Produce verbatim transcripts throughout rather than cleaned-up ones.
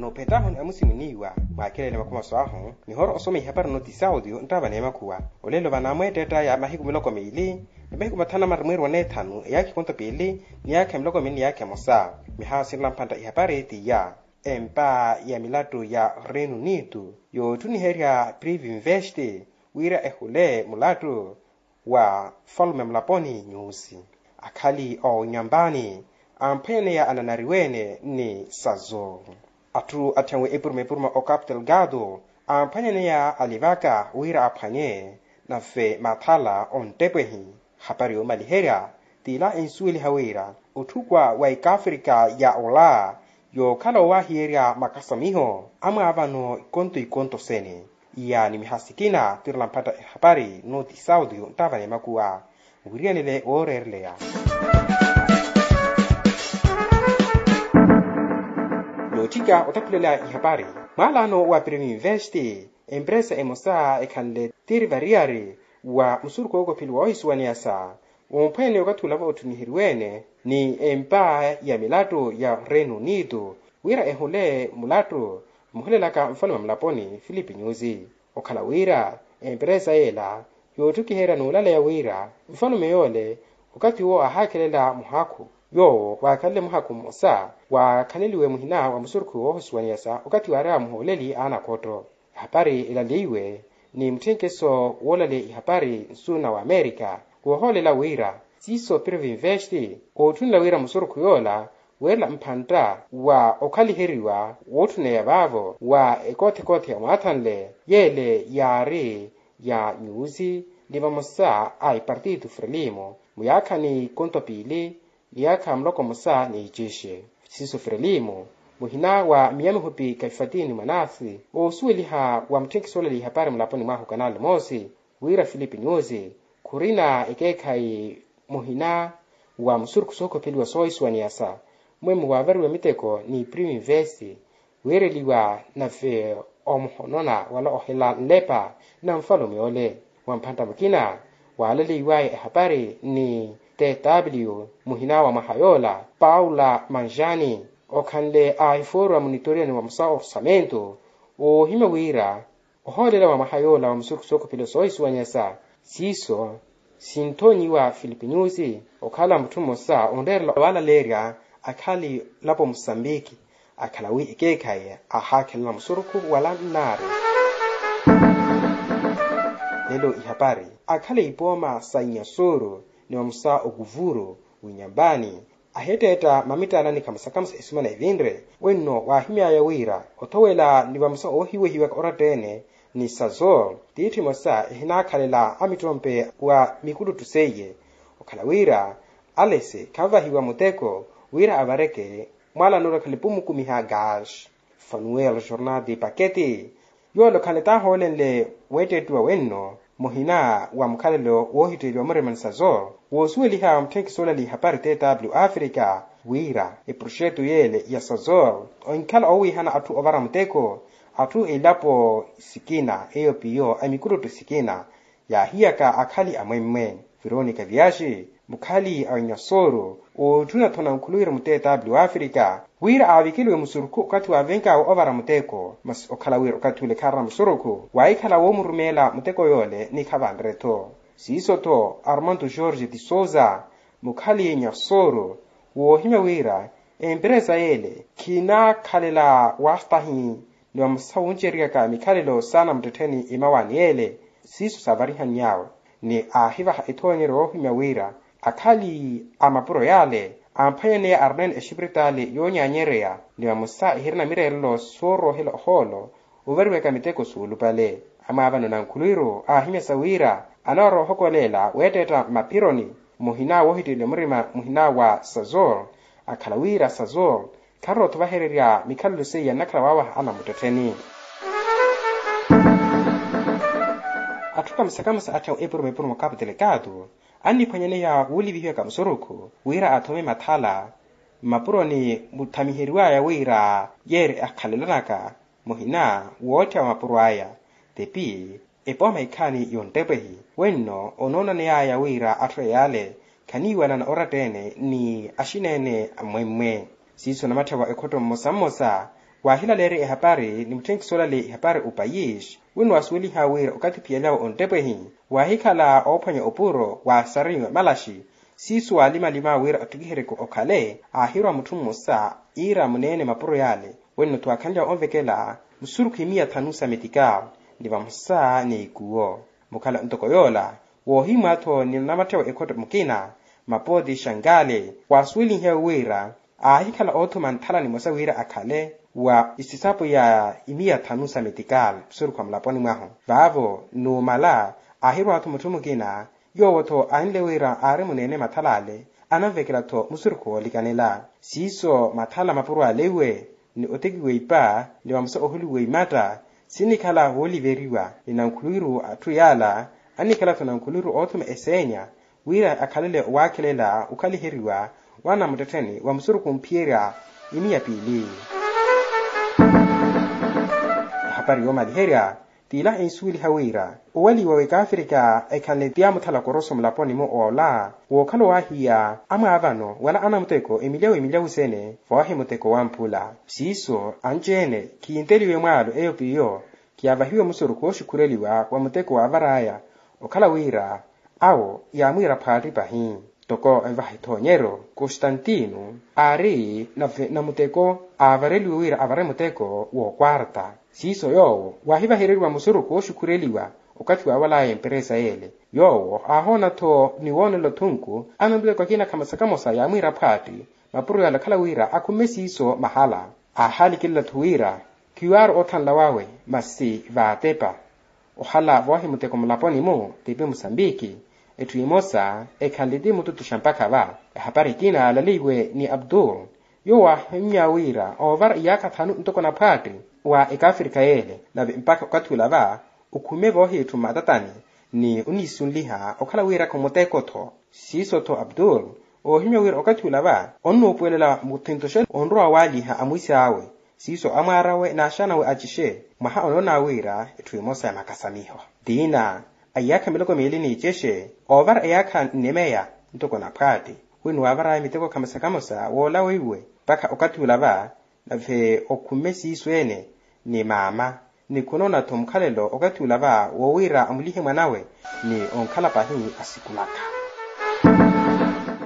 Ophetahu ni amusimuni iwa mwaakelele makumaso ahu, mihoro osoma ihapari noti saudio nttava n'emakhuwa. Olelo vanamweetteett'aya mahiku miloko miili ni mahiku mathanu na marimwiru wa n'ethanu eyaakha ekonto piili ni yaakha miloko miili ni yaakha emosa. Mihaha sinrela mphantta ihapari t'iya. Empa ya milattu ya reino unido yoottuniherya prive invest wira ehule mulattu wa falume mulaponi nyusi, akhali owinyambani amphwenyaneya ananariwe-ene ni sazo. Atthu atthenwe epuruma epuruma o capital gado amphwenyaneya alivaka wira aphwanye nave mathala onttepwehi. Hapari yoomaliherya t'ila ensuweliha wira otthukwa wa ikaafrika ya ola yookhala owahiyerya makasamiho amwaavano ikonto ikonto sene. Iya ni mihaha sikina twiirela mphatta ehapari noti saudio nttava n'emakuwa. Wiriyanele wooreereleya nootthika ottakhulela ihapari. Mwaalano wa prive invest empresa emosa ekhanle tiri variyari wa musurukhu wookopheliwa woohisuwaniyasa womphwene okathi olava ottuniheryiwe-ene ni empa ya milattu ya reino unido wira ehule mulattu muhulelaka nfalume mulaponi filipe nyusi. Okhala wira emperesa y'ela yoottukiherya n'ulaleya wira nfalume yoole okathi uwo aahaakhelela muhakhu yoowo waakhanle muhakhu mmosa waakhaneliwe muhina wa musurukhu woohisuwaniyasa okathi waarewa muhooleli a anakhotto. Ehapari elaleiwe ni mutthenkeso woolaleya ihapari nsu na wamerika woohoolela wira siiso prive invest ootthunela wira musurukhu yoola weerela mphantta wa okhaliheriwa wootthuneya vaavo wa ekoothekoothe yamwaathanle yeele yaari ya nyusi ni vamosa a ipartito frelimo muyaakhani konto piili ni yaakha muloko mmosa ni icixe. Siiso frelimo muhina wa miya mihupi kaifatini mwanasi oosuweliha wa mutthenkeso oolaleya ihapari mulaponi mwahu kanali moosi wira filipe nyusi khurina ekeekhayi muhina wa musurukhu sookopheliwa soohisuwaniyasa mwemmo waavariwa miteko ni prive invest weereliwa nave omuhonona wala ohela nlepa na nfalume ole. Wa mphantta mukina waalaleiwaya ehapari ni tw muhina wa mwaha yoola paula manjani okhanle a efoorwa munitoriyani wa musa orsamento woohimya wira ohoolela wa mwaha yoola wa musurukhu sookopheliwa soohisuwanyasa siiso sinthonyiwa filipe nyusi okhala mutthu mmosa onreerela waalaleerya akhali lapo musambiki akhala wi ekeekhayi aahaakhelela musurukhu wala nnaari. Lelo ihapari akhala ipooma sa inyasuru ni vamosa okuvuru winyambani ahetteetta mamittalani khamusa khamusa esumana evinre wenno waahimyaya wira othowela ni vamosa oohiwehiwaka oratta-ene ni sazo tiithi emosa ehinaakhalela amittompe wa mikuluttu seiye okhala wira alese khanvahiwa muteko wira avareke mwaalano orakhale pumukumiha gas fanuel jornal de paketi. Yoole okhanle taahoolenle weettettiwa wenno muhina wa mukhalelo woohitteeliwa murima ni sazor woosuweliha mutthenkisoolali ihapari tw africa wira eproxeto yeele ya sazor onkhala owiihana atthu ovara muteko atthu elapo sikina eyo piyo a mikuluttu sikina yaahiyaka akhali amwemmwe. Veronica viaxi mukhali a onyasooro ootthuna-thuna nkhuluwira mutteetaapi wa africa wira aavikeliwe musurukhu okathi waavenkaawe ovara muteko masi okhala wira okathi ole khaarina musurukhu waahikhala woomurumeela muteko yoole ni khavanre-tho. Siiso-tho armando george de souza mukhali nyasooro woohimya wira emperesa yeele khinaakhalela waastahi ni vamosa wunceryaka mikhalelo saana muttettheni imawaani yeele siiso saavarihannyawe ni aahivaha ethoonyeryo yoohimya wira akhali a mapuro yaale amphwanyaneya arnene exipiritaali yoonyaanyereya ni vamosa ehirina mireerelo sooroohela ohoolo ovariwaka miteko suulupale. Amwaavano na nkhulwiru aahimyasa wira anawaroohokoleela weetteetta mmaphironi muhina woohitteeliwa murima muhina wa sazor akhala wira sazor kharootho vahererya mikhalelo seiya nnakhala waawaha anamuttettheni. Atthu kamusa kamusa atthu a epuruma epuruma okapu telekaatu anniphwanyaneya wuulivihiwaka musurukhu wira athome mathala mmapuroni muthamiheriwaya wira yeeri akhalelanaka muhina wootthiya wa mapuro aya tepi epooma ikhaani yonttepwehi wenno onoonaneyaya wira atthu eyaale khaniiwanana oratta-ene ni axineene ammwemmwe. Siiso namatthewa ekhotto mmosa mmosa Waahilaleerya ehapari ni mutthenkiso olale ehapari opayisi, wino wasuweliha wira okathi phiyalyawe onttepwehi, waahikhala oophwanya opuro wa sariwe malaxi. Siiso waalimalima wira ottikiheryeke okhale aahirwa mutthu mmosa, iira muneene mapuro yaale. Wino twakhanlyawe onvekela musurukhu imiya thanu sa metikal, ni vamosa ni ikuwo. Mukhala ntoko yoola, woohimwa-tho ni namatthe wa ekhotto mukina, mapooti xangaale, waasuwelihiwe wira aahikhala oothuma nthala nimosa wira akhale wa isisapo ya imiya thanu sa metikal musurukhu wa mulaponi mwahu. Vaavo numala aahirwa-tho mutthu mukina, yoowo-tho anle wira aari muneene mathalale, ananvekela-tho musurukhu woolikanela. Siiso mathala mapuro ale iwe, ni otekiwa ipa ni vamosa ohuliwa imatta, sinikhala wooliveriwa ni nankhuluwiru atthu yaala, anikhala-tho nankhuluwiru oothuma eseenya wira akhalele owaakhelela okhaliheriwa wa namuttettheni wa musurukhu omphiyerya imiya piili. Ehapari yoomaliherya, tiila ensuweliha wira owaliwa w'ekaafrika ekhanle ti amuthala koroso mulaponi-mo oola, wookhala owaahiya amwaavano wala anamuteko emilyawu emilyawu sene voohi muteko wa mpula. Siiso anci-ene khinteliwe mwaalo eyo p'iyo, kiyavahiwe musurukhu wooxukhureliwa wa muteko waavar'aya, okhala wira awo yaamwiira phaatti pahi. Toko evaha ethoonyeryo, kostantino aari nave namuteko aavareliwe wira avare muteko w'okwarta. Siiso yoowo waahivahereriwa musurukhu wooxukhureliwa okathi waawal'aya emperesa yeele. Yoowo aahoona-tho ni woonela othunku anamuteko akina khamosa khamosa yaamwiira phaatti mapuro yaale okhala wira akhumme siiso mahala. Aahalikelela-tho wira khiwaaru oothanla wawe masi vaatepa. Ohala voohi muteko mulaponi-mu tipi musambiki, etthu emosa ekhanle ti mututuxa mpakha va. Ehapari ekina yaalaleiwe ni abdul, yoowo waahimya wira oovara iyaakha thanu ntoko naphaatti wa ekaafrika yeele, nave mpakha okathi ula va okhume voohi etthu mmatatani ni oniisunliha okhala wira khumuteko-tho. Siiso-tho abdul oohimya wira okathi ula va onnuupuwelela muthintoxeni onrowa waaliha amwisi awe. Siiso amwaar'awe n'axaanawe acixe mwaha onoona wira etthu emosa ya makasamiho. Tiina a iyaakha miloko miili n'icexe oovara iyaakha nnemeya ntoko naphaatti, wino waavar'aya miteko khamosa khamosa woola weiwe mpakha okathi ula va, nave okhumme siiso-ene ni maama, ni khunoona-tho mukhalelo okathi ula va woowira amulihe mwan'awe ni onkhala pahi asikulaka.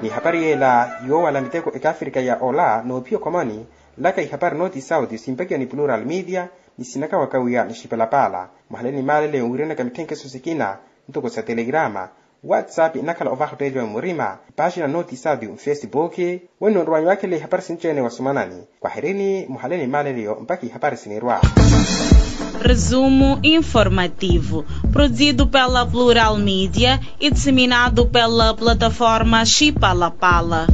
Ni ehapari yeela yoowala miteko ekaafrika ya ola noophiya okhomani, laka ihapari nooti sauti simpakiwa ni plural media, ni sinaka wakawiya ni xipalapaala. Muhale ni maaleleyo wiiranaka mitthenkeso sikina ntoko sa telegrama, whatsapp inakhala ovaha otteeliwa murima, epaaxina nooti sauti mfesibuki. Weno nrowanyu waakhela ihapari sinci-ene wa sumanani. Kwaherini muhale ni maaleleyo mpakha ihapari sinirwa. Resumo informativo, produzido pela Plural Media e disseminado pela plataforma Xipalapala.